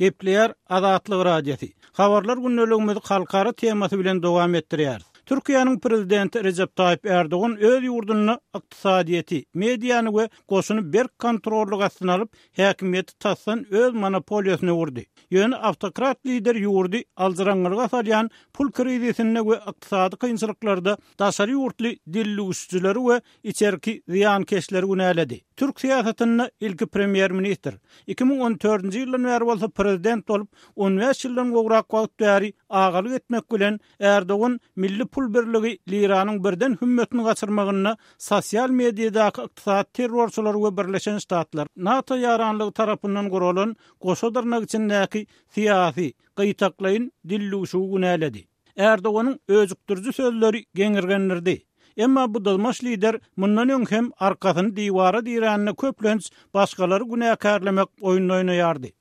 Gepleýär Azatlyk Radiosy. Habarlar gündeligimizi halkara temasy bilen dowam etdirýäris. Türkiýäniň Prezidenti Rejep Taýyp Ärdogan öz ýurdunda ykdysadyýeti, mediany we goşuny berk kontrollyk astyna alyp, häkimiýeti tasdan öz monopoliýasyna öwürdi. Ýöne awtokrat lider ýurdy aljyraňňylyga salýan pul krizisinde we ykdysady kynçylyklarda daşary ýurtly dildüwüşijileri we içerki zyýankeşleri günäledi. Türk syýasatynda ilki premýer-ministr, 2014-nji ýyldan bäri bolsa prezident bolup, on bäş ýyldan gowrak wagt bäri agalyk etmek bilen, Ärdogan milli pul birligi liranyň birden hümmetini gaçyrmagynda sosial mediadaky ykdysady terrorçylary we Birleşen Ştatlar, NATO ýaranlygy tarapyndan guralan goşa dyrnak içindäki syýasy, gytaklaýyn dildüwşügi günäledi. Ärdoganyň öjükdiriji sözleri geňirgendirdi. Emma bu dyzmaç lider mundan öň hem arkasyny diwara dirände köplenç başgalary günäkärlemek oýnuny oýnaýardy.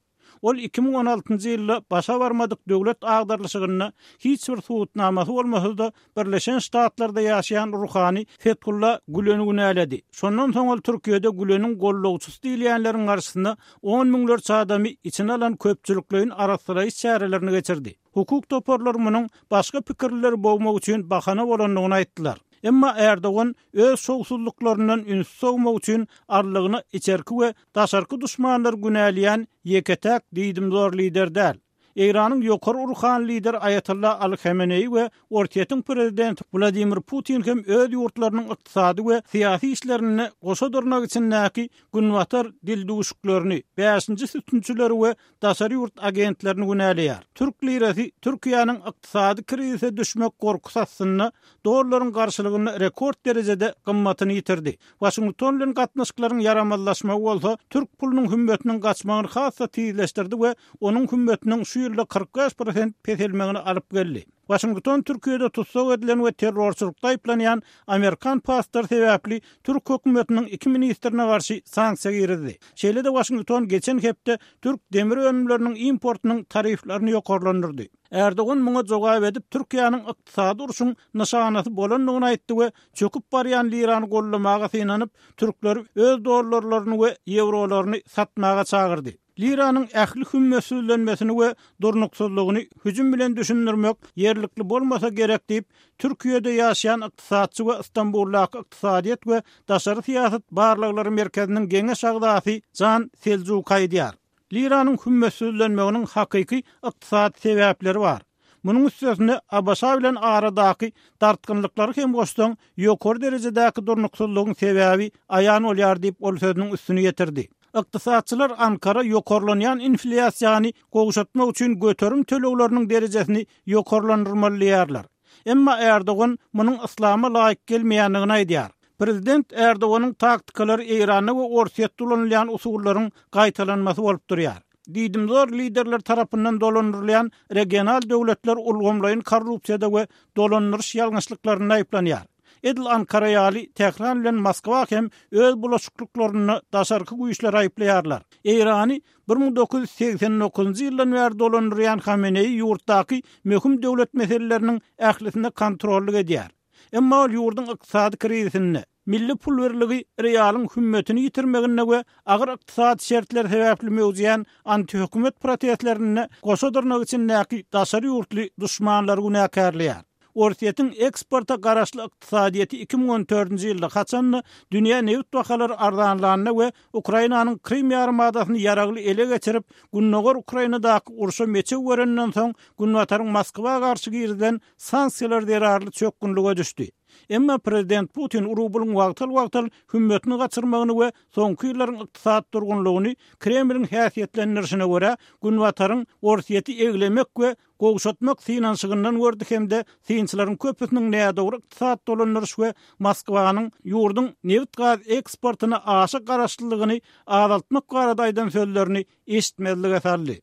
Ol 2016-njy ýylda başa barmadyk döwlet agdarylyşygynda hiç bir subutnamasy bolmasa-da Birleşen Ştatlarda ýaşaýan ruhany Fethulla Güleni günäledi. Şondan soň ol Türkiýede Güleniň gollagçysy diýilýänleriň garşysyna on müňlerçe adamy içine alan köpçülikleýin arassalaýyş çärelerini geçirdi. Hukuk toparlary munuň başga pikirlileri bogmak üçin bahana bolandygyny aýtdylar. Emma Ärdogan öz şowsuzlyklaryndan ünsi sowmak üçin arlygyna içerki we daşarky duşmanlary günäleýän ýeke-täk diýdimzor lider däl. Eýranyň ýokary ruhany lideri Aýatolla Aly Hameneýi we Orsýetiň prezidenti Wladimir Putin hem öz ýurtlarynyň ykdysady we syýasy işlerinde goşa dyrnak içindäki Günbatar dildüwşüklerini, bäşinji sütünçileri we daşary ýurt agentlerini günäleýär. Türk lirasy Türkiýäniň ykdysady krizise düşmek gorkusy astynda dollaryň garşylygynda rekord derejede gymmatyny ýitirdi. Waşington bilen gatnaşyklaryň ýaramazlaşmagy bolsa türk pulunyň hümmetiniň gaçmagyny has-da tizleşdirdi we onuň hümmetiniň şu ýylda 45 prosent peselmegine alyp geldi. Waşington Türkiýede tussag edilen we terrorçylykda aýyplanýan amerikan pastory sebäpli türk hökümetiniň iki ministrine garşy sanksiýa girizdi. Şeýle-de Waşington geçen hepde türk demir önümleriniň importynyň tariflerini ýokarlandyrdy. Erdogan muňa jogap edip, Türkiýäniň ykdysady urşuň nyşanasy bolandygyny aýtdy we çöküp barýan lirany goldamaga synanyp, türkleri öz dollarlaryny we ýewrolaryny satmaga çagyrdy. Liranyň ähli hümmetsizlenmesini we durnuksyzlygyny hüjüm bilen düşündirmek ýerlikli bolmasa gerek diýip, Türkiýede ýaşaýan ykdysatçy we Stambuldaky Ykdysadyýet we daşary syýasat barlaglary merkeziniň geňeş agzasy Jan Seljuk aýdýar. Liranyň hümmetsizlenmeginiň hakyky ykdysady sebäpleri bar. Munuň üstesine, ABŞ bilen aradaky dartgynlyklary hem goşsaň, ýokary derejedäki durnuksyzlygyň sebäbi aýan bolýar diýip, ol sözüniň üstüni ýetirdi. Ykdysatçylar Ankara ýokarlanýan inflýasiýany gowşatmak üçin göterim tölegleriniň derejesini ýokarlandyrmaly diýýärler. Emma Erdogan munuň yslama laýyk gelmeýändigini aýdýar. Prezident Erdoganyň taktikalary Eýranda we Orsýetde ulanylýan usullaryň gaýtalanmasy bolup durýar. Diýdimzor liderler tarapyndan dolandyrylýan regional döwletler ulgamlaýyn korrupsiýada we dolandyryş ýalňyşlyklarynda aýyplanýar. Edil Ankara ýaly, Tähran bilen Moskwa hem öz bulaşyklyklarynda daşarky güýçleri aýyplaýarlar. Eýrany 1989-njy ýyldan bäri dolandyrýan Hameneýi ýurtdaky möhüm döwlet meseleleriniň ählisine kontrollyk edýär. Emma ol ýurduň ykdysady krizisinde, milli pul birligi rialyň hümmetini ýitirmeginde we agyr ykdysady şertler sebäpli möwjeýän antihökümet protestlerinde goşa dyrnak içindäki daşary ýurtly duşmanlary günäkärleýär. Orsýetiň eksporta garaşly ykdysadyýeti 2014-nji ýylda, haçan-da dünýä nebit bahalary arzanlanda we Ukrainanyň Krym ýarymadasyny ýaragly ele geçirip, gündogar Ukrainadaky urşa meçew berenden soň, Günbataryň Moskwa garşy girizilen sanksiýalar zerarly çökgünlige düşdi. Emma prezident Putin rublyň wagtal-wagtal hümmetini gaçyrmagyny we soňky ýyllaryň ykdysady durgunlygyny Kremliň häsiýetlendirişine görä, Günbataryň Orsýeti eglemek we gowşatmak synanyşygyndan gördi hem-de synçylaryň köpüsiniň nädogry ykdysady dolandyryş we Moskwanyň ýurduň nebit-gaz eksportyna aşa garaşlylygyny azaltmak barada aýdan sözlerini eşitmezlige saldy.